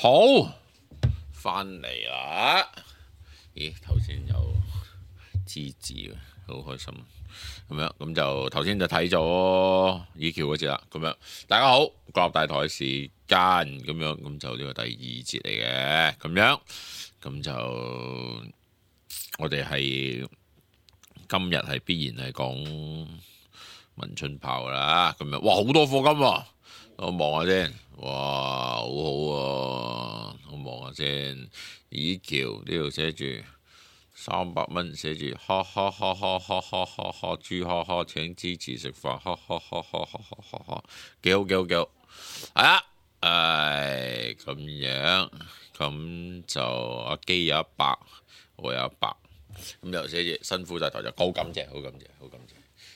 好，翻嚟啦！咦，頭先有支字嘅，好開心。咁樣咁就頭先就睇咗以橋嗰節啦。咁樣大家好，國立大台時間咁樣，咁就呢個第二節嚟嘅。咁樣咁就我哋係今日係必然係講文春炮啦。咁樣哇，好多課金喎！我望下先，哇，好好喎！我望下先，以橋呢度寫住300蚊，寫住哈哈哈哈哈哈哈哈豬哈哈請支持食飯，哈哈哈哈哈哈哈，幾好幾好幾好，係啊，咁樣，咁就阿基有100，我有100，咁又寫住辛苦大台就好感謝，好感謝，好感謝。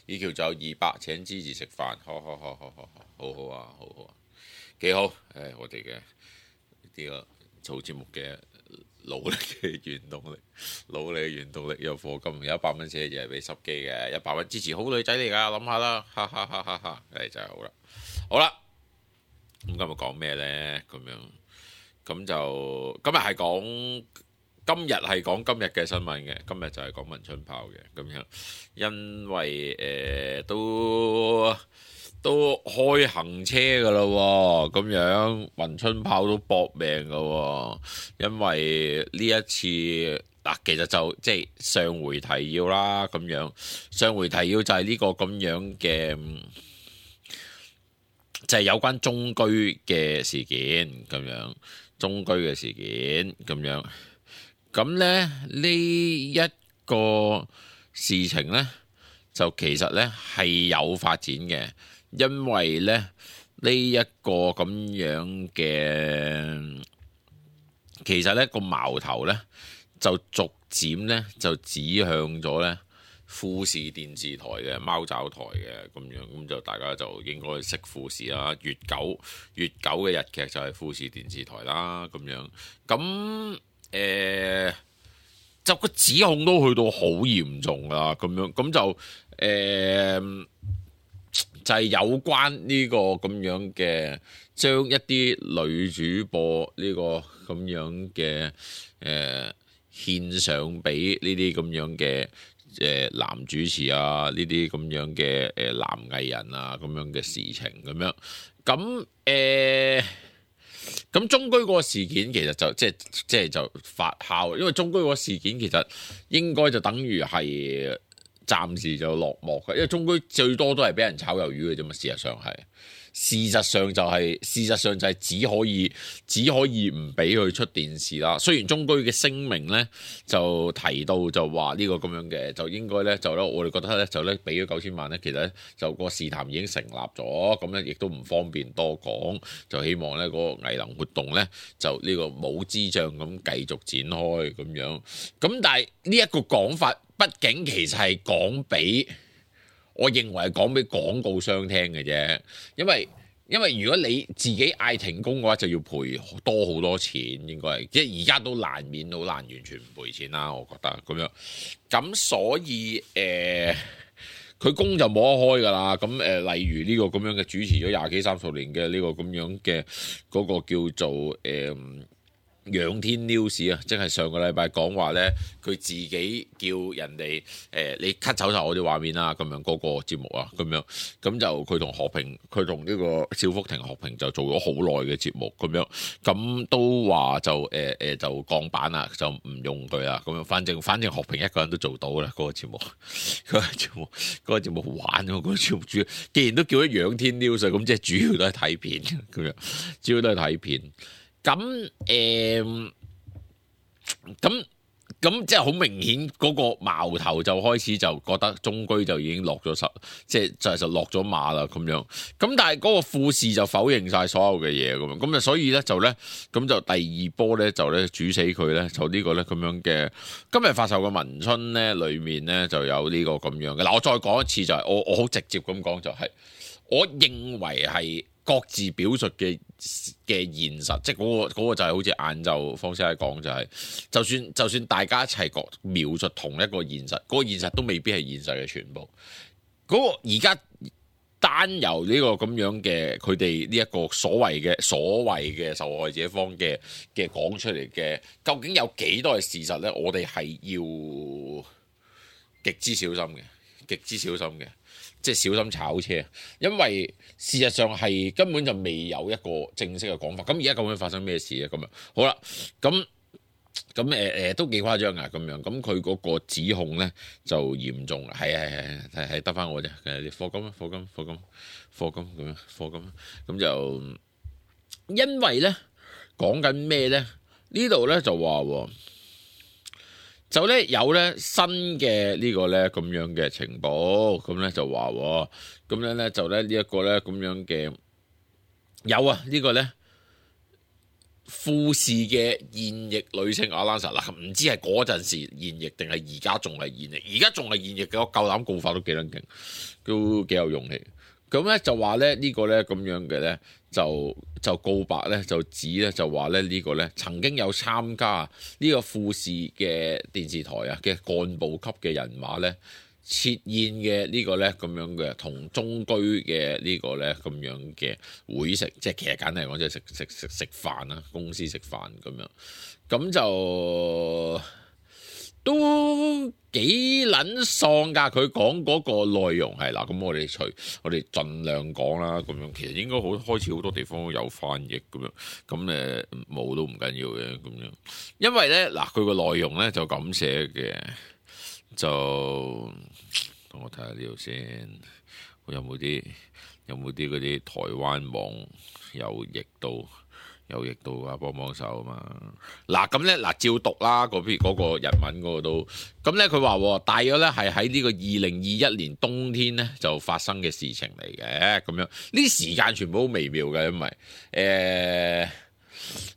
以橋就有200請支持食飯，好好好好好好好啊，好好啊，幾好！我哋嘅呢個做節目嘅努力嘅原動力，努力嘅原動力有課金，有100蚊寫就係俾濕機嘅，100蚊支持好女仔嚟㗎，諗下啦，哈哈哈哈哈！真係好啦，好啦，咁今日講咩呢？咁樣咁就今日係講。今日係講今日嘅新聞嘅，今日就係講文春炮嘅咁樣，因為都開行車㗎啦喎，咁樣文春炮都搏命㗎喎，因為呢一次嗱，其實就即係上回提要啦，咁樣上回提要就係呢個咁樣嘅，就係有關中居嘅事件咁樣，中居嘅事件咁樣。咁咧呢一個事情呢，就其實呢係有發展嘅，因為咧呢一個咁樣嘅，其實呢個矛頭呢，就逐漸呢就指向咗呢富士電視台嘅貓爪台嘅咁樣，咁就大家就應該識富士啦，月九嘅日劇就係富士電視台啦，咁樣咁。就個指控都去到好嚴重啦，咁樣咁就就係有關呢個咁樣嘅，將一啲女主播呢個咁樣嘅獻上俾呢啲咁樣嘅男主持啊，呢啲咁樣嘅男藝人啊咁樣嘅事情咁樣，咁中居嗰個事件其實就即係就發酵，因為中居嗰個事件其實應該就等於係暫時就落幕嘅，因為中居最多都係俾人炒魷魚嘅啫嘛，事實上就係只可以唔俾佢出電視啦。雖然中居嘅聲明咧就提到就話呢個咁樣嘅，就應該咧就咧我哋覺得咧就咧俾咗9000萬咧，其實咧就個事談已經成立咗，咁咧亦都唔方便多講，就希望咧嗰個藝能活動咧就呢個冇支障咁繼續展開咁樣。咁但係呢一個講法，畢竟其實係講俾。我認為係講俾廣告商聽嘅啫，因為如果你自己嗌停工嘅話，就要賠多好多錢，應該係即係而家都難免好難完全唔賠錢啦，我覺得咁樣。咁所以佢工就冇得開㗎啦。咁例如呢個咁樣嘅主持咗20幾30年嘅呢個咁樣嘅嗰個叫做仰天 news 啊，即係上個禮拜講話咧，佢自己叫人哋你 cut 走晒我啲畫面啦，咁樣嗰個節目啊，咁樣咁就佢同何平，佢同呢個邵福庭何平就做咗好耐嘅節目，咁樣咁都話就就降版啦，就唔用佢啦，咁樣反正何平一個人都做到啦，嗰個節目，嗰個節目好玩喎，嗰個節目主要既然都叫咗仰天 news，咁即係主要都係睇片咁樣，主要都係睇片。咁即係好明顯嗰個矛頭就開始就覺得中居就已經落咗即係就落咗馬啦咁樣。咁但係嗰個富士就否認晒所有嘅嘢咁樣。咁啊所以咧就咧咁就第二波咧就咧煮死佢咧就呢個咧咁樣嘅今日發售嘅文春咧裏面咧就有呢個咁樣嘅。嗱我再講一次就係我好直接咁講就係我認為係。各自表述嘅現實，即係嗰個就係好似晏晝方先生講就係，就算大家一齊描述同一個現實，嗰個現實都未必係現實嘅全部。嗰個而家單由呢個咁樣嘅佢哋呢一個所謂嘅受害者方嘅講出嚟嘅，究竟有幾多係事實呢？我哋係要極之小心嘅，即係小心炒車，因為事實上係根本就未有一個正式嘅講法。咁而家究竟發生咩事咧？咁樣好啦，咁都幾誇張啊！咁樣咁佢嗰個指控咧就嚴重，係得翻我啫。課金咁就因為咧講緊咩咧？呢度咧就話就咧有咧新嘅呢個咧咁樣嘅情報，咁咧就話咁樣咧就咧呢一個咧咁樣嘅有啊呢個咧。富士嘅現役女星阿蘭莎嗱，唔知係嗰陣時現役定係而家仲係現役？而家仲係現役嘅，我夠膽告發都幾撚勁，都幾有勇氣。咁咧就話咧呢個咧咁樣嘅咧就告白咧就指咧就話咧呢個咧曾經有參加呢個富士嘅電視台啊嘅幹部級嘅人馬咧。設宴嘅呢個咧咁樣嘅同中居嘅呢個咧咁樣嘅會食，即係其實簡單嚟講，即係食飯啦，公司食飯咁樣，咁就都幾撚喪㗎。佢講嗰個內容係嗱，咁我哋盡量講啦，咁樣其實應該開始好多地方都有翻譯咁樣，咁冇都唔緊要嘅咁樣，因為咧嗱佢個內容咧就咁寫嘅。就等我睇下呢度先，有冇啲嗰啲台灣網有譯到啊？幫手啊嘛！嗱咁咧照讀啦，嗰個日文嗰個都咁咧，佢話大約咧係喺呢個2021年冬天咧就發生嘅事情嚟嘅，咁樣呢啲時間全部都微妙嘅，因為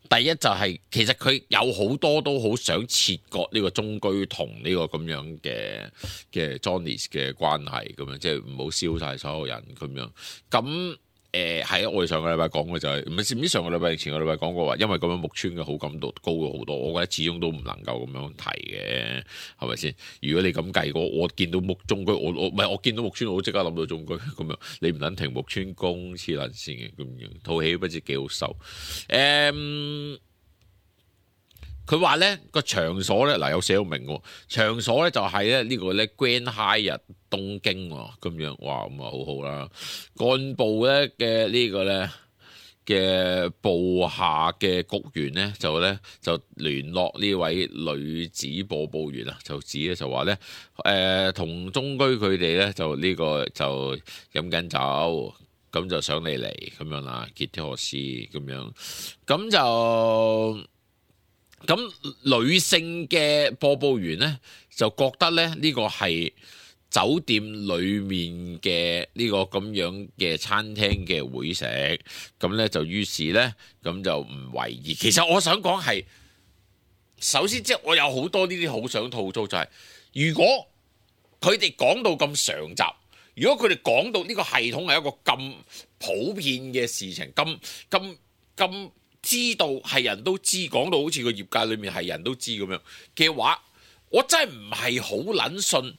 第一就係其實佢有好多都好想切割呢個中居同呢個咁樣嘅 Johnny 嘅關係咁樣，即係唔好燒晒所有人咁樣。咁係我哋上個禮拜講嘅就係唔知上個禮拜前個禮拜講過話，因為咁樣木村嘅好感度高咗好多，我覺得始終都唔能夠咁樣提嘅，係咪先？如果你咁計我見到中居，我見到木村，我即刻諗到中居咁樣。你唔撚停木村公黐撚線嘅咁樣，套戲不知幾好受。佢話咧個場所咧有寫到明喎，場所咧就係咧呢個咧 Grand Hyatt 東京喎，咁樣哇咁啊好好啦。幹部咧嘅呢個咧嘅部下嘅局員咧就聯絡呢位女子播報員啊，就指咧就話咧同中居佢哋咧就呢個就飲緊酒，咁就想你嚟咁樣啦，結啲何事咁樣，咁就。咁女性嘅播報員呢，就覺得咧呢個係酒店裡面嘅呢個咁樣嘅餐廳嘅會食，咁呢就於是呢，咁就唔為意。其實我想講係，首先即係我有好多呢啲好想吐槽，就係如果佢哋講到咁常習，如果佢哋講到呢個系統係一個咁普遍嘅事情，咁。知道係人都知，講到好似個業界裏面係人都知咁樣嘅話，我真係唔係好撚信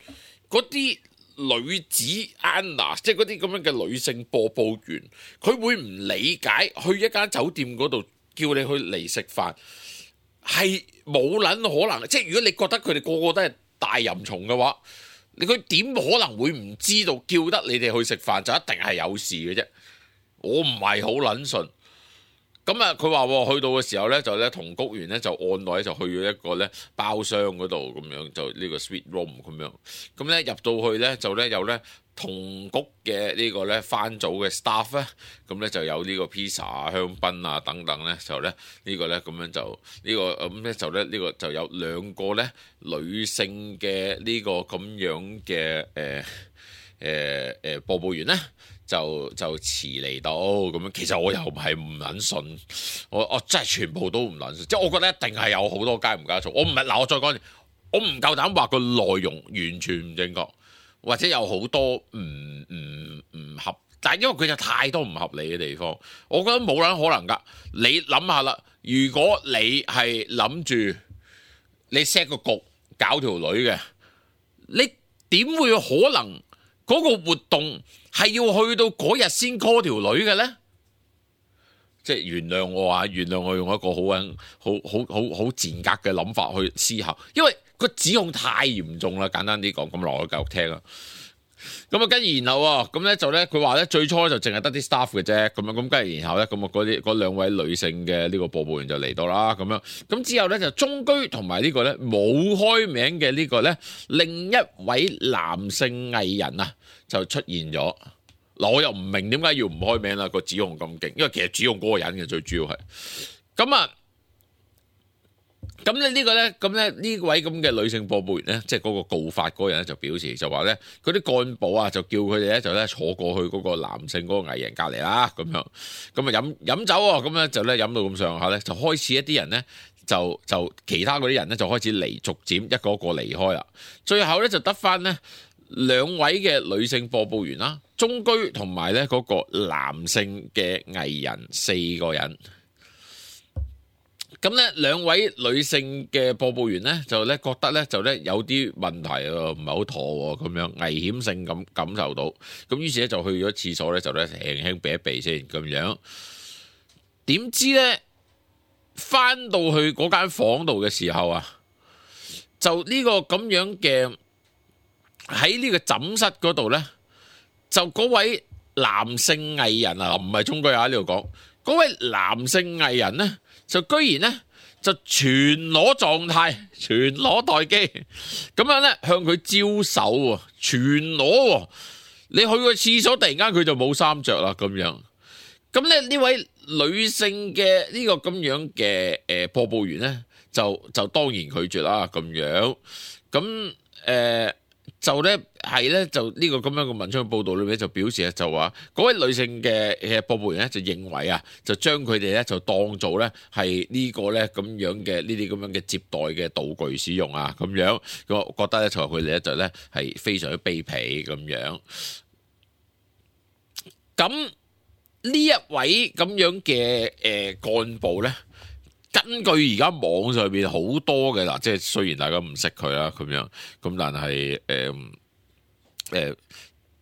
嗰啲女子 Anna， 即係嗰啲咁樣嘅女性播報員，佢會唔理解去一間酒店嗰度叫你去嚟食飯係冇撚可能。即係如果你覺得佢哋個個都係大淫蟲嘅話，佢點可能會唔知道叫得你哋去食飯就一定係有事嘅啫？我唔係好撚信。咁啊，佢話去到嘅時候咧，就咧同局員咧就按耐就去咗一個咧包廂嗰度咁樣，就呢個 suite room 咁樣。咁咧入到去咧就咧有咧同局嘅呢個咧番組嘅 staff 咧，咁咧就有呢個 pizza 啊、香檳啊等等咧，就咧呢個咧咁樣就呢個咁咧就咧呢個就有兩個咧女性嘅呢個咁樣嘅播報員咧。就遲嚟到咁樣，其實我又係唔撚信，我真係全部都唔撚信，即係我覺得一定係有好多加唔加醋。我唔係嗱，我再講，我唔夠膽話個內容完全唔正確，或者有好多唔合，但係因為佢有太多唔合理嘅地方，我覺得冇撚可能㗎。你諗下啦，如果你係諗住你 set 個局搞條女嘅，你點會可能嗰個活動係要去到嗰日先 call 條女嘅咧？即係原諒我啊，原諒我用一個好賤格嘅諗法去思考，因為個指控太嚴重啦。簡單啲講，咁落去繼續聽啦。咁啊，跟住然後啊，咁咧就咧，佢話咧最初就淨係得啲 staff 嘅啫，咁樣咁跟住然後咧，咁啊嗰兩位女性嘅呢個播報員就嚟到啦，咁樣咁之後咧就中居同埋呢個咧冇開名嘅呢個咧另一位男性藝人啊就出現咗。嗱，我又唔明點解要唔開名啦，個指控咁勁，因為其實指控嗰個人嘅最主要係咁啊。咁咧呢個咧，咁咧呢位咁嘅女性播報員咧，即係嗰個告發嗰個人咧就表示就話咧，嗰啲幹部啊就叫佢哋咧就咧坐過去嗰個男性嗰個藝人隔離啦，咁樣咁啊飲酒喎，咁咧就咧飲到咁上下咧，就開始一啲人咧就其他嗰啲人咧就開始逐漸一個一個離開啦，最後咧就得翻咧兩位嘅女性播報員啦，中居同埋咧嗰個男性嘅藝人4個人。咁咧兩位女性嘅播報員咧就咧覺得咧就咧有啲問題喎，唔係好妥喎，咁樣危險性咁感受到，咁於是咧就去咗廁所咧就咧輕輕避一避先咁樣。點知咧翻到去嗰間房度嘅時候啊，就呢個咁樣嘅喺呢個枕室嗰度咧，就嗰位男性藝人啊，唔係中居啊呢度講，嗰位男性藝人咧。就居然咧就全裸狀態，全裸待機，咁樣咧向佢招手喎，全裸喎。你去個廁所，突然間佢就冇衫着啦，咁樣。咁咧呢位女性嘅呢個咁樣嘅播報員咧，就當然拒絕啦，咁樣。咁就咧係咧就呢個咁樣嘅文章報道裏面就表示咧就話嗰位女性嘅播報員咧就認為啊，就將佢哋咧就當做咧係呢個咧咁樣嘅呢啲咁樣嘅接待嘅道具使用啊，咁樣我覺得咧就佢哋咧就咧係非常之卑鄙咁樣。咁呢一位咁樣嘅幹部咧，根據而家網上邊好多嘅嗱，即係雖然大家唔識佢啦，咁樣咁，但係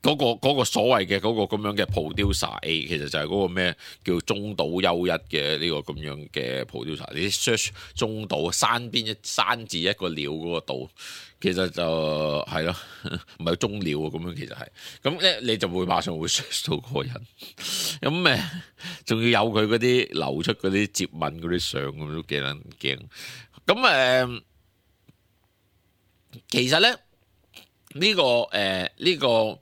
嗰個所謂嘅嗰個咁樣嘅 producer A， 其實就係嗰個咩叫中島優一嘅呢個咁樣嘅 producer。你 search 中島山邊山字一個鳥嗰個島，其實就係咯，唔係中鳥啊咁樣，其實係咁咧，你就會馬上會 search 到嗰個人。咁仲要有佢嗰啲流出嗰啲接吻嗰啲相咁都幾撚驚。咁其實咧呢個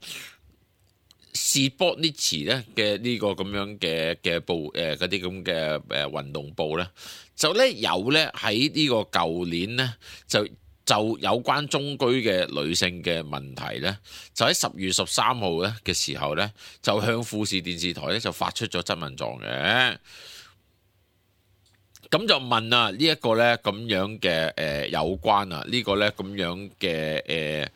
士波尼茨咧嘅呢個咁樣嘅報嗰啲咁嘅運動報咧，就咧有咧喺呢個舊年咧就有關中居嘅女性嘅問題咧，就喺10月13號咧嘅時候咧，就向富士電視台咧就發出咗質問狀嘅。咁就問啊呢一個咧咁樣嘅有關啊呢個咧咁樣嘅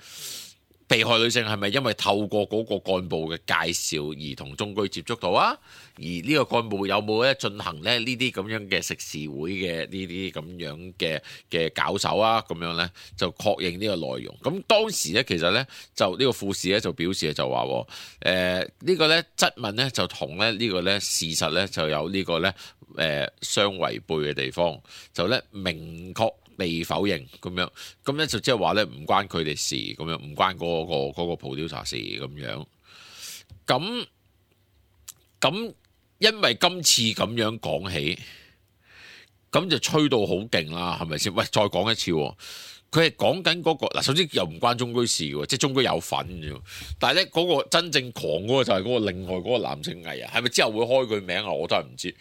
被害女性係咪因為透過嗰個幹部嘅介紹而同中居接觸到啊？而呢個幹部有冇咧進行咧呢啲咁樣嘅食肆會嘅呢啲咁樣嘅搞手啊？咁樣咧就確認呢個內容。咁當時咧其實咧就呢個富士咧就表示就話呢個咧質問咧就同咧呢個咧事實咧就有呢個咧相違背嘅地方，就咧明確被否認咁樣，咁咧就即係話咧唔關佢哋事咁樣，唔關嗰個 producer 事咁樣。咁因為今次咁樣講起，咁就吹到好勁啦，係咪先？喂，再講一次，佢係講緊嗰個嗱，首先又唔關中居事嘅，即係中居有份啫。但係咧嗰個真正狂嗰個就係嗰個另外嗰個男性藝人，係咪之後會開佢名啊？我都係唔知。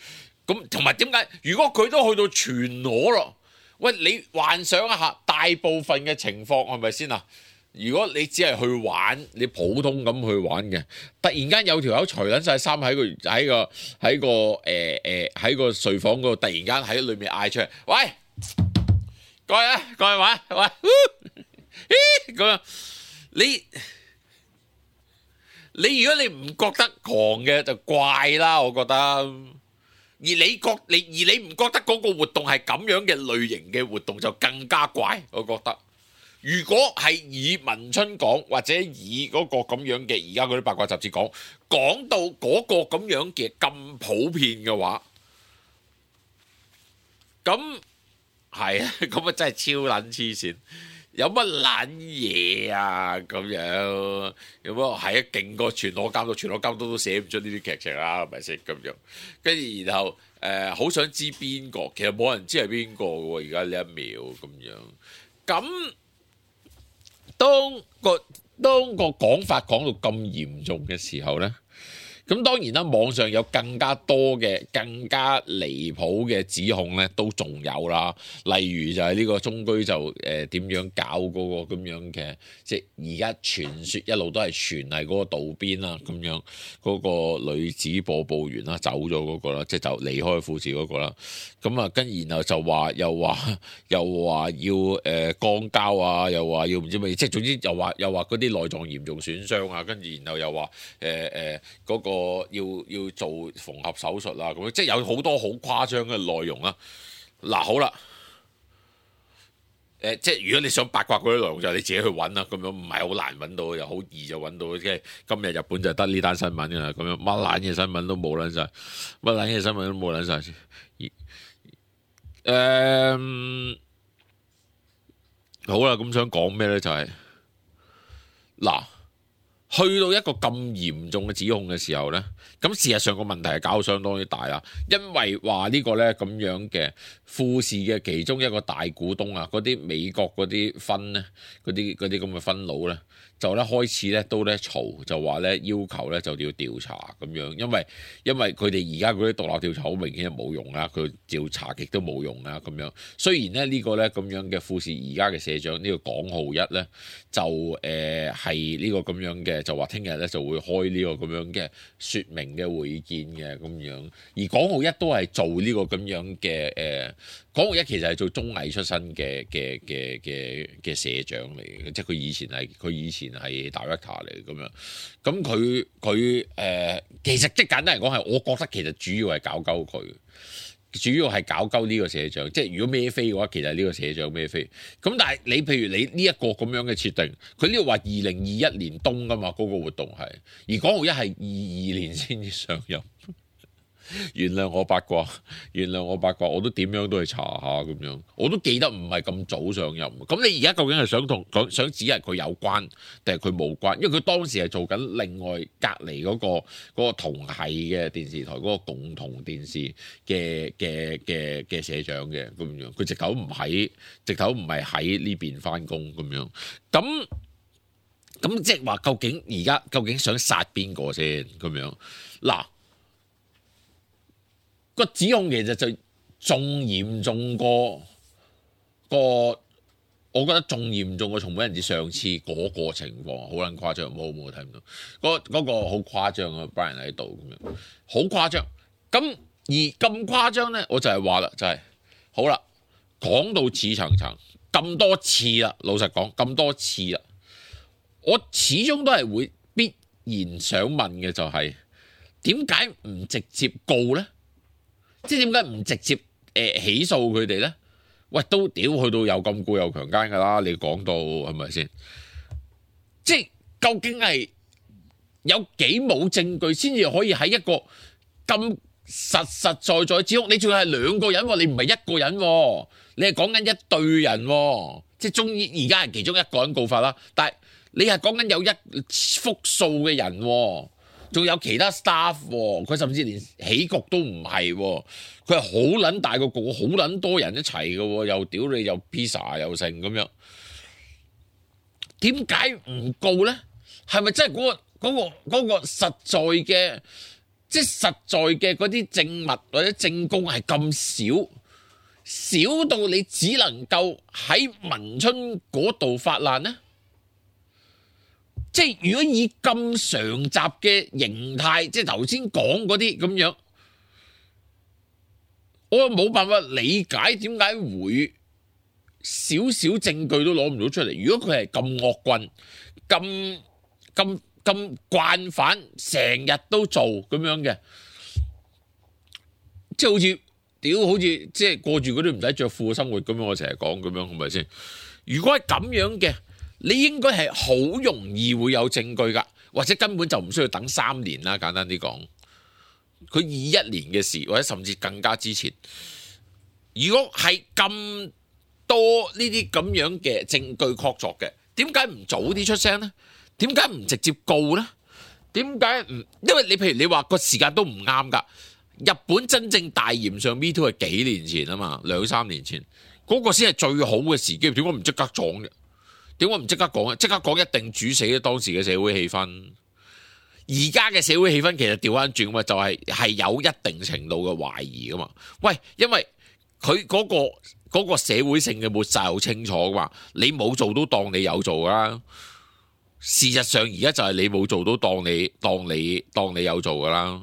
咁同埋點解？如果佢都去到全裸咯？喂，你幻想一下，大部分嘅情況係咪先啊？如果你只係去玩，你普通咁去玩嘅，突然間有條友除撚晒衫喺個睡房嗰度，突然間喺裏面嗌出嚟，喂，過嚟啊，過嚟玩，喂，咁樣你如果你唔覺得狂嘅就怪啦，我覺得。而你唔覺得嗰個活動係咁樣嘅類型嘅活動就更加怪，我覺得如果係以文春講，或者以嗰個咁樣嘅而家嗰啲八卦雜誌講到嗰個咁樣嘅咁普遍嘅話，咁係啊，咁啊真係超撚黐線，有乜撚嘢啊咁樣？有乜係啊？勁過全裸監督，全裸監督都寫唔出呢啲劇情啦，係咪先咁樣？跟住然後好想知邊個，其實冇人知係邊個喎。而家呢一秒咁樣，咁當個講法講到咁嚴重嘅時候呢，咁當然啦，網上有更加多嘅、更加離譜嘅指控咧，都仲有啦。例如就係呢個中居就點樣搞嗰個咁樣嘅，即係而家傳説一路都係傳係嗰個道邊啦，咁樣嗰個女子播報員啦，走咗嗰個啦，即係就離開富士嗰個啦。咁啊，跟然後就話又話要肛交啊，又話要唔知乜嘢，即係總之又話嗰啲內臟嚴重損傷啊，跟住然後又話嗰個要做縫合手術啊，咁樣即係有好多好誇張嘅內容啦。嗱，好啦，即係如果你想八卦嗰啲內容就你自己去揾啦，咁樣唔係好難揾到，又好易就揾到。即係今日日本就得呢單新聞㗎啦，咁樣乜撚嘢新聞都冇撚晒，乜撚嘢新聞都冇撚晒。好啦，咁想講咩咧？就係嗱。去到一個咁嚴重嘅指控嘅時候呢，咁事實上個問題係搞到相當之大啦，因為話呢個呢咁樣嘅富士嘅其中一個大股東啊，嗰啲美國嗰啲分呢，嗰啲咁嘅分佬呢，就咧開始咧都咧嘈，就話咧要求咧就要調查咁樣，因為佢哋而家嗰啲獨立調查好明顯係冇用啦，佢調查極都冇用啦咁樣。雖然咧呢個咧咁樣嘅富士而家嘅社長呢個廣浩一咧就係呢個咁樣嘅，就話聽日咧就會開呢個咁樣嘅説明嘅會見嘅咁樣，而廣浩一都係做呢個咁樣嘅廣浩一其實係做綜藝出身嘅社長嚟嘅，即係佢以前係 director 嚟咁樣。咁佢其實即係簡單嚟講係，我覺得其實主要係搞鳩佢，主要係搞鳩呢個社長。即係如果孭飛嘅話，其實呢個社長孭飛。咁但係你譬如你呢一個咁樣嘅設定，佢呢度話2021年冬㗎嘛，嗰個活動係，而廣浩一係22年先至上任。原諒我八卦，我都點樣都去查下咁樣，我都記得唔係咁早上任。咁你而家究竟係想指係佢有關，定係佢冇關？因為佢當時係做緊另外隔離嗰個同系嘅電視台嗰個共同電視嘅社長嘅咁樣，佢直頭唔係喺呢邊翻工咁樣。咁即係話究竟想殺邊個先咁樣嗱？個指控其實就仲嚴重過我覺得仲嚴重過松本人志上次嗰個情況，好撚誇張，冇睇唔到嗰個好誇張啊 ！Brian 喺度咁樣，好誇張。咁而咁誇張咧，我就係話啦，就係好啦，講到似層層咁多次啦，老實講咁多次啦，我始終都係會必然想問嘅就係點解唔直接告咧？即係點解唔直接起訴佢哋咧？喂，都屌去到又禁錮又強姦㗎啦！你講到係咪先？即係究竟係有幾冇證據先至可以喺一個咁實在指控？你仲係兩個人喎，你唔係一個人喎，你係講緊一隊人喎。即係終於而家係其中一個人告發啦，但係你係講緊有一複數嘅人喎。仲有其他 staff 喎，佢甚至連起局都唔係喎，佢係好撚大個局，好撚多人一齊嘅喎，又屌你又 pizza 又成咁樣，點解唔告咧？係咪真係嗰個實在嘅，即係實在嘅嗰啲證物或者證供係咁少到你只能夠喺文春嗰度發難呢？即係如果以咁常習嘅形態，即係頭先講嗰啲咁樣，我冇辦法理解點解會少少證據都攞唔到出嚟。如果佢係咁惡棍、咁慣犯，成日都做咁樣嘅，即係好似即係過住嗰啲唔使着褲嘅生活咁樣，我成日講咁樣，係咪先？如果係咁樣嘅，你應該係好容易會有證據㗎，或者根本就唔需要等3年啦。簡單啲講，佢21年嘅事，或者甚至更加之前。如果係咁多呢啲咁樣嘅證據確鑿嘅，點解唔早啲出聲呢？點解唔直接告呢？點解唔？因為你譬如你話個時間都唔啱㗎。日本真正大炎上 Me Too 係幾年前啊嘛，2-3年前嗰個先係最好嘅時機。點解唔即刻講嘅？點解唔即刻講？即刻講一定煮死咗當時嘅社會氣氛。而家嘅社會氣氛其實調翻轉嘛，就係有一定程度嘅懷疑㗎嘛。喂，因為佢嗰個社會性嘅抹殺好清楚㗎嘛，你冇做都當你有做啦。事實上而家就係你冇做都當你有做㗎啦。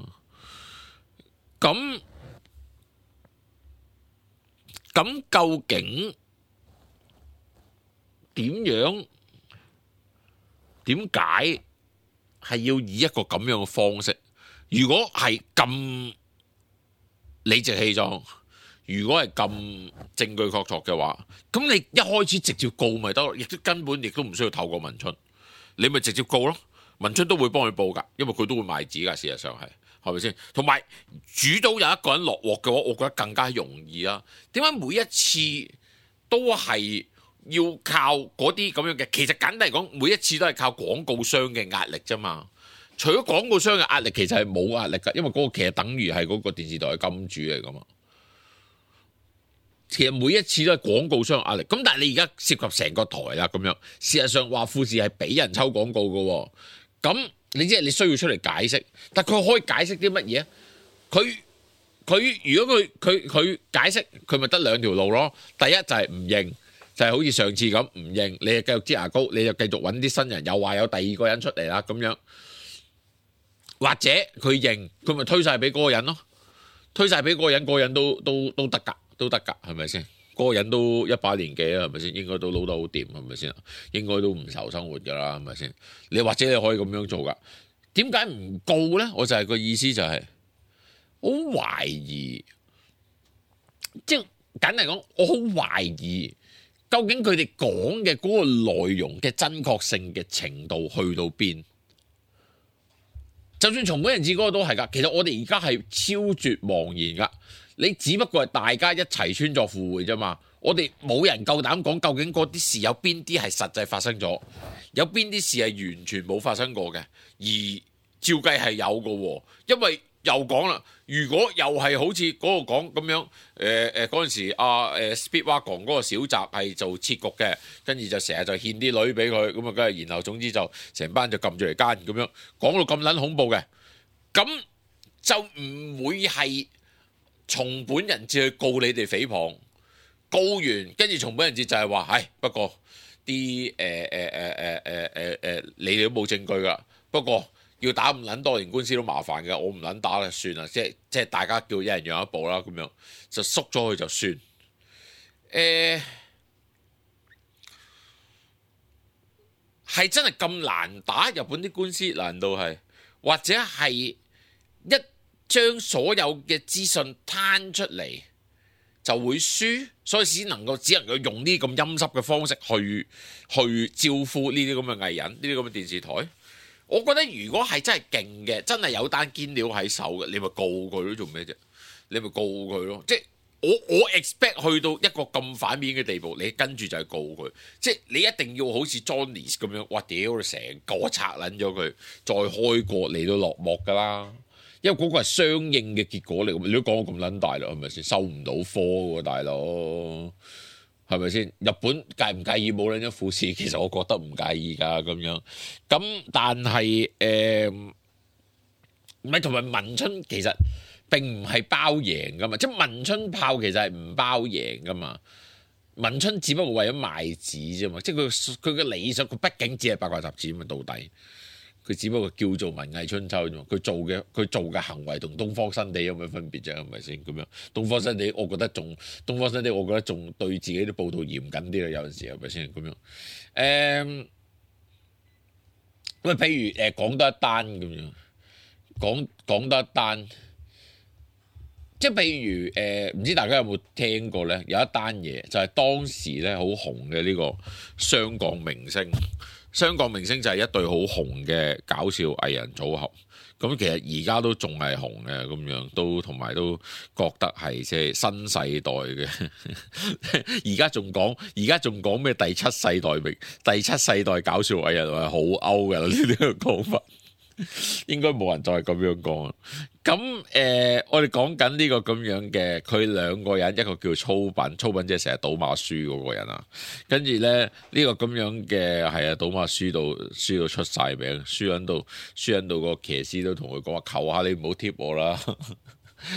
咁究竟點解係要以一個咁樣嘅方式？如果係咁理直氣壯，如果係咁證據確鑿嘅話，咁你一開始直接告咪得咯，亦都根本亦都唔需要透過文春，你咪直接告咯。文春都會幫佢報㗎，因為佢都會賣紙㗎。事實上係咪先？同埋煮到有一個人落鑊嘅話，我覺得更加容易啦。點解每一次都係要靠嗰啲咁樣嘅？其實簡單嚟講，每一次都係靠廣告商嘅壓力啫嘛。除咗廣告商嘅壓力，其實係冇壓力㗎，因為嗰個其實等於係嗰個電視台嘅金主嚟㗎嘛。其實每一次都係廣告商嘅壓力。咁但係你而家涉及成個台啦，咁樣事實上話富士係俾人抽廣告㗎喎。咁你即係你需要出嚟解釋，但佢可以解釋啲乜嘢？佢如果佢解釋，佢咪得2條路咯。第一就係唔認，就係好似上次咁唔認，你就繼續擠牙膏，你就繼續揾啲新人，又話有第二個人出嚟啦咁樣。或者佢認，佢咪推晒俾嗰個人咯，推晒俾嗰個人，嗰個人都得㗎，都得㗎，係咪先？嗰個人都100年紀啦，係咪先？應該都撈得好掂，係咪先？應該都唔愁生活㗎啦，係咪先？你或者你可以咁樣做㗎。點解唔告呢？我就係個意思就係，好懷疑，即係簡單嚟講，我好懷疑究竟佢哋講嘅嗰個內容嘅真確性嘅程度去到邊？就算松本人志嗰個都係㗎，其實我哋而家係超絕茫然㗎。你只不過係大家一齊穿鑿附會啫嘛。我哋冇人夠膽講究竟嗰啲事有邊啲係實際發生咗，有邊啲事係完全冇發生過嘅，而照計係有嘅喎。因為又講啦，如果又係好似嗰個講咁樣，嗰陣時Speedwagon 嗰個小澤係做設局嘅，跟住就成日就獻啲女俾佢，咁啊，跟住然後總之就成班就撳住嚟奸咁樣，講到咁撚恐怖嘅，咁就唔會係松本人志去告你哋誹謗，告完跟住松本人志就係話，唉，不過啲你哋都冇證據噶，不過要打咁撚多年官司都麻煩嘅，我唔撚打啦，算啦，即係大家叫一人讓一步啦，咁樣就縮咗佢就算。係真係咁難打日本啲官司？難道係或者係一將所有嘅資訊攤出嚟就會輸，所以只能夠用呢啲咁陰濕嘅方式去招呼呢啲咁嘅藝人，呢啲咁嘅電視台。我覺得如果係真係勁嘅，真係有單堅料喺手嘅，你咪告佢咯，做咩啫？你咪告佢咯，即係我 expect 去到一個咁反面嘅地步，你跟住就係告佢，即係你一定要好似 Johnny 咁樣，哇屌你成個拆撚咗佢，再開過嚟到落幕㗎啦，因為嗰個係相應嘅結果嚟，你都講到咁撚大啦，係咪先？收唔到科喎，大佬。係咪先？日本介唔介意冇撚一富士？其實我覺得唔介意㗎咁樣。咁但係唔係同埋文春其實並唔係包贏㗎嘛，即係文春炮其實係唔包贏㗎嘛。文春只不過為咗賣紙啫嘛，即係佢嘅理想，佢畢竟只係八卦雜誌嘛，到底。佢只不過叫做文藝春秋啫嘛，佢做嘅行為同東方新地有咩分別啫？係咪先咁樣？東方新地，我覺得仲對自己啲報導嚴謹啲啦，有陣時係咪先咁樣？咁譬如講多一單咁樣，講多一單，即即係譬如唔知大家有冇聽過咧？有一單嘢就係當時咧好紅嘅呢個雙鋼明星。雙鋼明星就係一對好紅嘅搞笑藝人組合。咁其實而家都仲係紅嘅，咁樣都同埋都覺得係即係新世代嘅。而家仲講咩第七世代搞笑藝人係好 out 嘅呢個講法。應該冇人再咁樣講。咁我哋講緊呢個咁樣嘅，佢兩個人，一個叫粗品即係成日賭馬輸嗰個人啊。跟住咧呢個咁樣嘅係啊，賭馬輸到出晒名，輸緊到個騎師都同佢講話，求下你唔好貼我啦，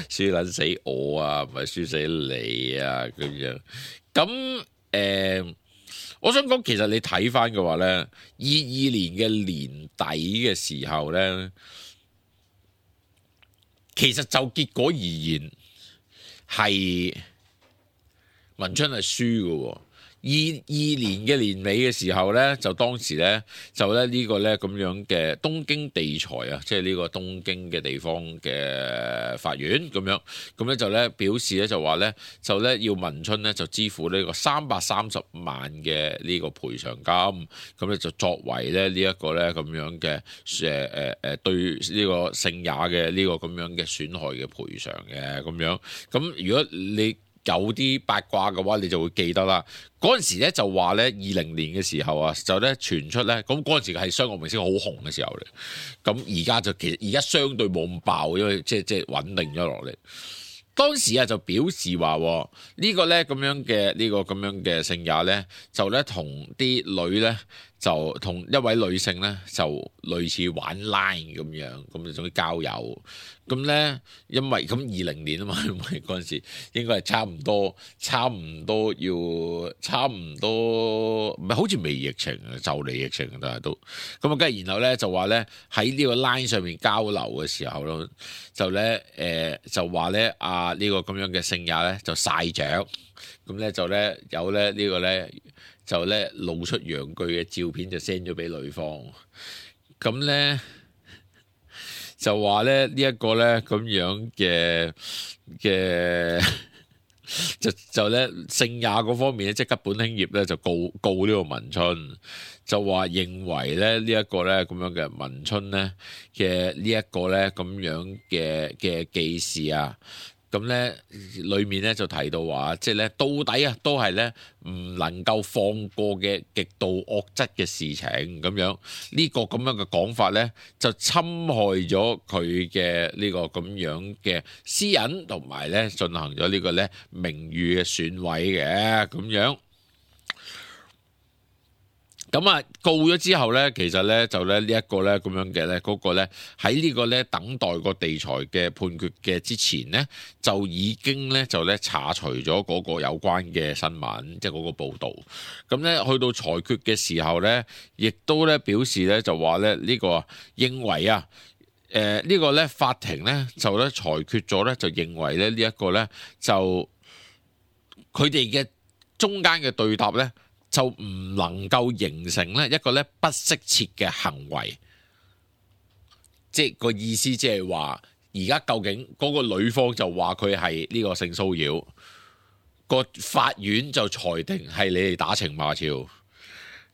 輸撚死我啊，唔係輸死你啊咁樣。咁我想講，其實你睇翻嘅話咧，22年嘅年底嘅時候咧，其實就結果而言係文春係輸嘅喎。22年嘅年尾嘅時候咧，就當時咧就咧呢個咧咁樣嘅東京地裁啊，即係呢個東京嘅地方嘅法院咁樣，咁咧就咧表示咧就話咧就咧要文春咧就支付呢個330萬嘅呢個賠償金，咁咧就作為咧呢一個咧咁樣嘅對呢個聖也嘅呢個咁樣嘅損害嘅賠償嘅咁樣。咁如果你有啲八卦嘅話，你就會記得啦。嗰陣時咧就話咧20年嘅時候啊，就咧傳出咧，咁嗰陣時係雙鋼明星好紅嘅時候嚟。咁而家就其實而家相對冇咁爆，因為即係穩定咗落嚟。當時啊就表示話呢個咧咁樣嘅呢個咁樣嘅聖也咧，就咧同啲女咧就同一位女性咧就類似玩 Line 咁樣，咁就總之交友。咁咧因為咁20年啊嘛，因為嗰陣時應該係差唔多唔係好似未疫情啊，就嚟疫情但係都咁啊，跟住然後咧就話咧喺呢個 Line 上面交流嘅時候咯，就咧就話咧呢個咁樣嘅聖也咧就曬著，咁咧就咧有咧呢個咧就咧露出陽具嘅照片就 send 咗俾女方，咁咧就話咧呢一個咧咁樣嘅就咧聖也嗰方面咧即係吉本興業咧就告呢個文春，就話認為咧呢一個咧咁樣嘅文春咧嘅呢一個咧咁樣嘅記事啊。咁咧，裏面咧就提到話，即係咧到底啊，都係咧唔能夠放過嘅極度惡質嘅事情咁樣。呢個咁樣嘅講法咧，就侵害咗佢嘅呢個咁樣嘅私隱，同埋咧進行咗呢個咧名譽嘅損毀嘅咁樣。咁啊告咗之後咧，其實咧就咧呢一個咧咁樣嘅咧嗰個咧喺呢個咧等待個地裁嘅判決嘅之前咧，就已經咧就咧查除咗嗰個有關嘅新聞，即係嗰個報導。咁咧去到裁決嘅時候咧，亦都咧表示咧就話咧呢個認為啊，呢個咧法庭咧就咧裁決咗咧就認為咧呢一個咧就佢哋嘅中間嘅對答咧，就唔能夠形成咧一個咧不適切嘅行為，即係個意思，即係話而家究竟嗰個女方就話佢係呢個性騷擾，個法院就裁定係你哋打情罵俏，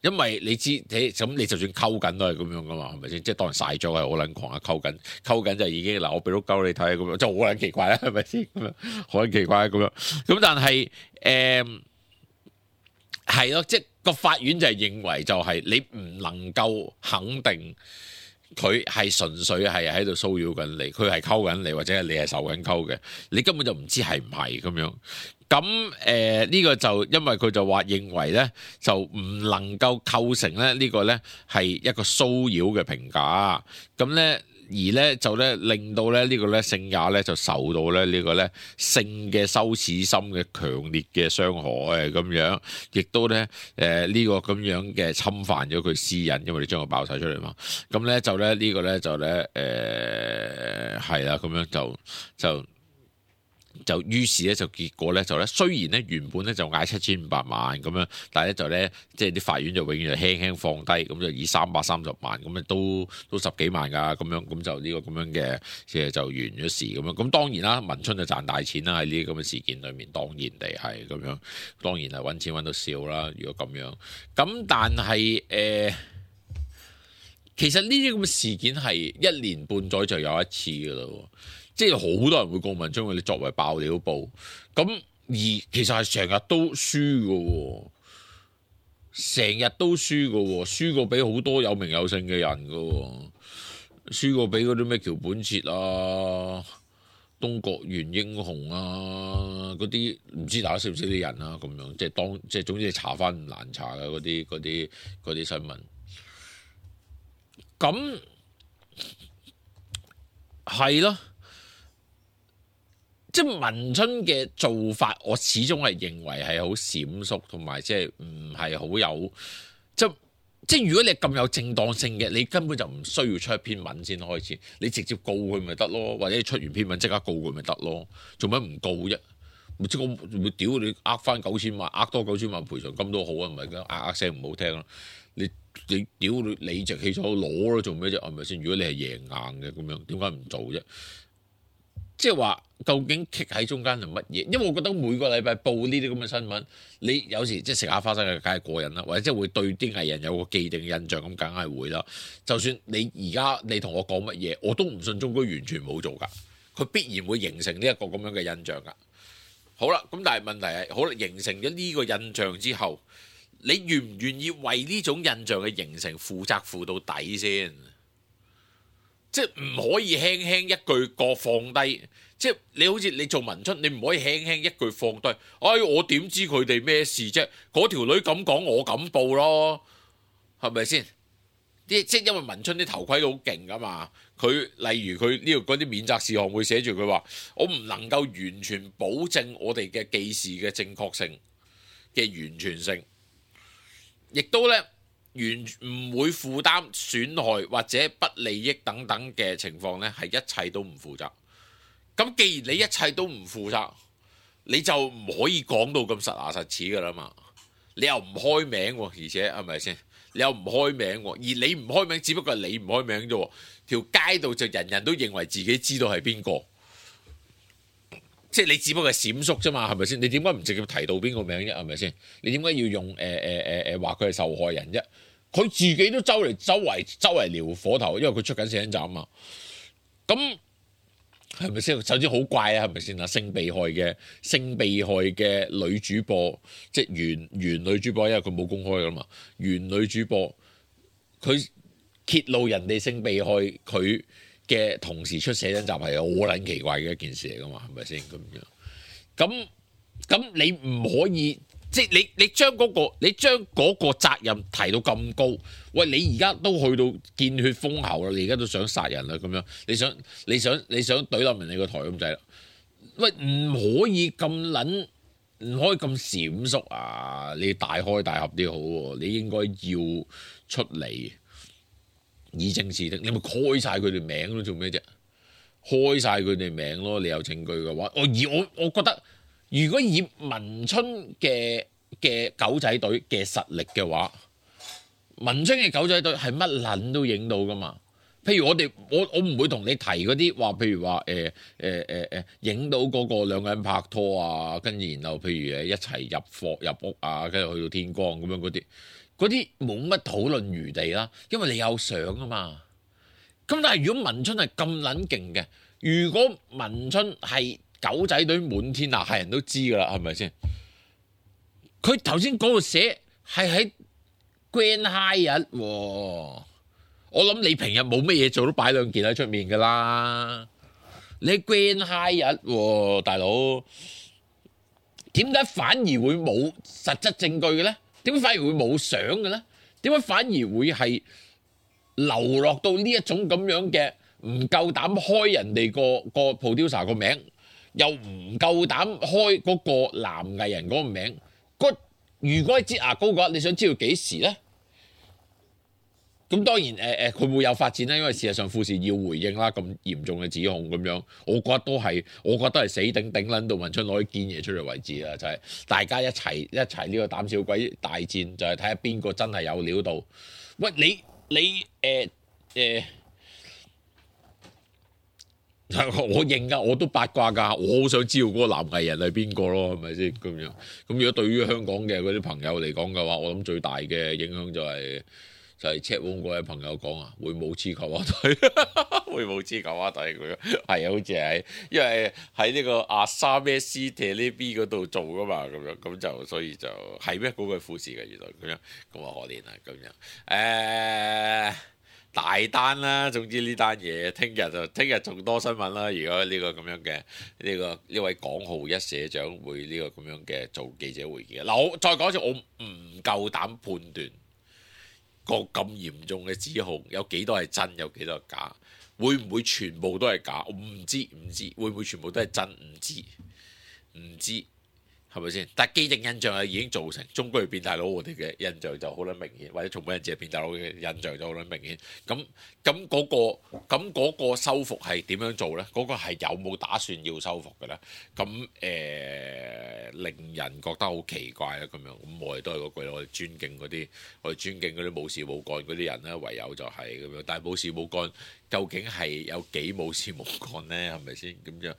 因為你知咁你就算溝緊都係咁樣噶嘛，係咪先？即係當人晒咗係好撚狂啊，溝緊就已經嗱我俾到鳩你睇咁樣，就好撚奇怪啦，係咪先？咁樣好撚奇怪咁樣，咁但係係咯，即係個法院就係認為就係你唔能夠肯定佢係純粹係喺度騷擾緊你，佢係溝緊你，或者係你係受緊溝嘅，你根本就唔知係唔係咁樣。咁呢個就因為佢就話認為咧，就唔能夠構成咧呢個咧係一個騷擾嘅評價，咁咧。而咧就咧令到咧呢個咧聖也咧就受到咧呢個咧性嘅羞恥心嘅強烈嘅傷害咁樣，亦都咧呢個咁樣嘅侵犯咗佢私隱，因為你將佢爆晒出嚟嘛。咁咧就咧呢個咧就咧係啦，咁樣就就於是咧就結果咧就咧雖然咧原本咧就嗌7500萬咁樣，但係咧就咧即係啲法院就永遠就輕輕放低，咁就以330萬咁啊都10幾萬㗎咁樣，咁就呢個咁樣嘅即係就完咗事咁樣。咁當然啦，文春就賺大錢啦喺呢啲咁嘅事件裏面，當然地係咁樣，當然係揾錢揾到笑啦。如果咁樣，咁但係其實呢啲咁嘅事件係1年半載就有一次㗎啦。即係好多人會告文春，你作為爆料報，咁而其實係成日都輸㗎，成日都輸㗎，輸過俾好多有名有姓嘅人㗎，輸過俾嗰啲咩橋本徹啊、東國原英雄啊嗰啲，唔知大家識唔識啲人啊咁樣，即係總之你查翻唔難查嘅嗰啲新聞，咁係咯。即係文春嘅做法，我始終係認為係好閃縮，同埋即係唔係好有即係如果你咁有正當性嘅，你根本就唔需要出一篇文先開始，你直接告佢咪得咯，或者你出完篇文即刻告佢咪得咯，做乜唔告啫？即係我會屌你呃翻9000萬，呃多9000萬賠償金都好啊，唔係嘅聲唔好聽咯。你屌你理直氣壯攞咯，做咩啫？係咪先？如果你係贏硬嘅咁樣，點解唔做啫？即係話究竟棘喺中間係乜嘢？因為我覺得每個禮拜報呢啲咁嘅新聞，你有時即係食下花生嘅梗係過癮啦，或者即係會對啲藝人有個既定印象咁，梗係會啦。就算你而家你同我講乜嘢，我都唔信中居完全冇做㗎，佢必然會形成呢一個咁樣嘅印象㗎。好啦，咁但係問題係，好啦，形成咗呢個印象之後，你願唔願意為呢種印象嘅形成負責負到底先？即係唔可以輕輕一句過放低，即係你好似你做文春，你唔可以輕輕一句放低。哎，我點知佢哋咩事啫？嗰條女咁講，我咁報咯，係咪先？即係因為文春啲頭盔都好勁噶嘛。佢例如佢呢度嗰啲免責事項會寫住佢話，我唔能夠完全保證我哋嘅記事嘅正確性嘅完全性，亦都咧。完唔會負擔損害或者不利益等等嘅情況呢，係一切都唔負責。咁既然你一切都唔負責，你就唔可以講到咁實牙實齒噶啦嘛。你又唔開名，而且係咪先？你又唔開名，而你唔開名，只不過係你唔開名啫。條街度就人人都認為自己知道係邊個，即係你只不過係閃縮啫嘛，係咪先？你點解唔直接提到邊個名啫？係咪先？你點解要用話佢係受害人啫？佢自己都周圍撩火頭，因為佢出緊死人站嘛。咁係咪先？首先好怪啊，係咪先啊？性被害嘅女主播，即係原女主播，因為佢冇公開噶嘛。原女主播佢揭露人哋性被害佢嘅同時出寫真集係好撚奇怪嘅一件事嚟噶嘛？係咪先咁樣？咁你唔可以。即係你將嗰個責任提到咁高，喂！你而家都去到見血封喉啦，你而家都想殺人啦咁樣，你想懟冧人哋個台咁滯啦，喂！唔可以咁撚，唔可以咁閃縮啊！你大開大合啲好喎，你應該要出嚟以正視聽，你咪開晒佢哋名咯，做咩啫？開晒佢哋名咯，你有證據嘅話，我覺得。如果以文春嘅狗仔隊嘅實力嘅話，文春嘅狗仔隊係乜撚都影到噶嘛？譬如我唔會同你提嗰啲話，譬如話影到嗰個兩個人拍拖啊，跟住然後譬如一齊入屋啊，跟住去到天光咁樣嗰啲冇乜討論餘地啦，因為你有相啊嘛。咁但係如果文春係咁撚勁嘅，如果文春係狗仔隊滿天下，係人都知噶啦，係咪先？佢頭先嗰度寫係喺 Grand Hyatt 喎，我諗你平日冇乜嘢做都擺兩件喺出面噶啦。你喺 Grand Hyatt 喎，大佬，點解反而會冇實質證據嘅咧？點解反而會冇相嘅咧？點解反而會係流落到呢一種咁樣嘅唔夠膽開人哋個 producer 個名？又唔夠膽開嗰個男藝人嗰個名，如果係擠牙膏嘅話，你想知道幾時咧？咁當然佢會有發展啦，因為事實上富士要回應啦咁嚴重嘅指控咁樣，我覺得係死頂撚到文春攞啲堅嘢出嚟為止啦，就係、大家一齊呢個膽小鬼大戰，就係睇下邊個真係有料到。喂，你我認㗎，我都八卦㗎，我好想知道嗰個男藝人係邊個咯，係咪先咁樣？咁如果對於香港嘅嗰啲朋友嚟講嘅話，我諗最大嘅影響就係 check room 嗰位朋友講啊，會冇黐球啊隊，會冇黐球啊隊佢係啊，好似係因為喺呢個阿沙咩斯特呢邊嗰度做㗎嘛，咁樣咁就所以就係咩嗰個富士嘅原來咁樣，咁啊可憐啊咁樣大單啦，總之呢單嘢聽日仲多新聞啦。如果呢個咁樣嘅呢位港號一社長會呢個咁樣嘅做記者會嘅嗱，我再講一次，我唔夠膽判斷個咁嚴重嘅指控有幾多係真，有幾多係假，會唔會全部都係假？我唔知，會唔會全部都係真？唔知。係咪先？但係既定印象係已經造成，中國係變態佬，我哋嘅印象就好撚明顯，或者從本人只係變態佬嘅印象就好撚明顯。咁嗰個修復係點樣做呢？嗰個係有冇打算要修復嘅呢？咁令人覺得好奇怪啦咁樣。咁我哋都係嗰句，我哋尊敬嗰啲冇事冇幹嗰啲人咧，唯有就係咁樣。但係冇事冇幹，究竟係有幾冇事冇幹呢？係咪先？咁樣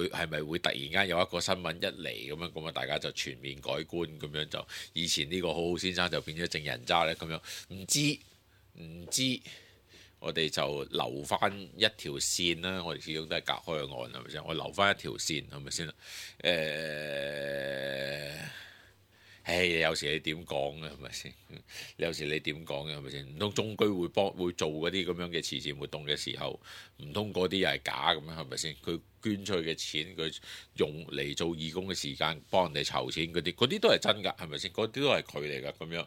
係咪會突然間有一個新聞一嚟咁樣咁啊？大家就全面改觀咁樣，就以前呢個好好先生就變咗正人渣咧咁樣，唔知我哋就留翻一條線啦。我哋始終都係隔開個岸係咪先？我留翻一條線係咪先？有時你點講嘅係咪先？有時你點講嘅係咪先？唔通中居會做嗰啲咁樣嘅慈善活動嘅時候，唔通嗰啲又係假咁樣係咪先？佢捐出去嘅錢，佢用嚟做義工嘅時間幫人哋籌錢嗰啲都係真㗎，係咪先？嗰啲都係佢嚟㗎咁樣。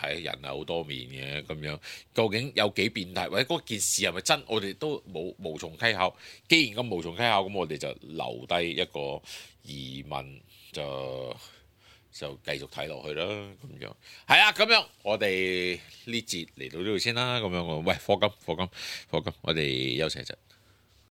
係人係好多面嘅咁樣，究竟有幾變態，或者嗰件事係咪真？我哋都無從稽考。既然咁無從稽考，咁我哋就留低一個疑問。就繼續睇落去啦，咁樣係啊，咁樣我哋呢節嚟到呢度先啦，咁樣喂，課金，我哋休息一陣。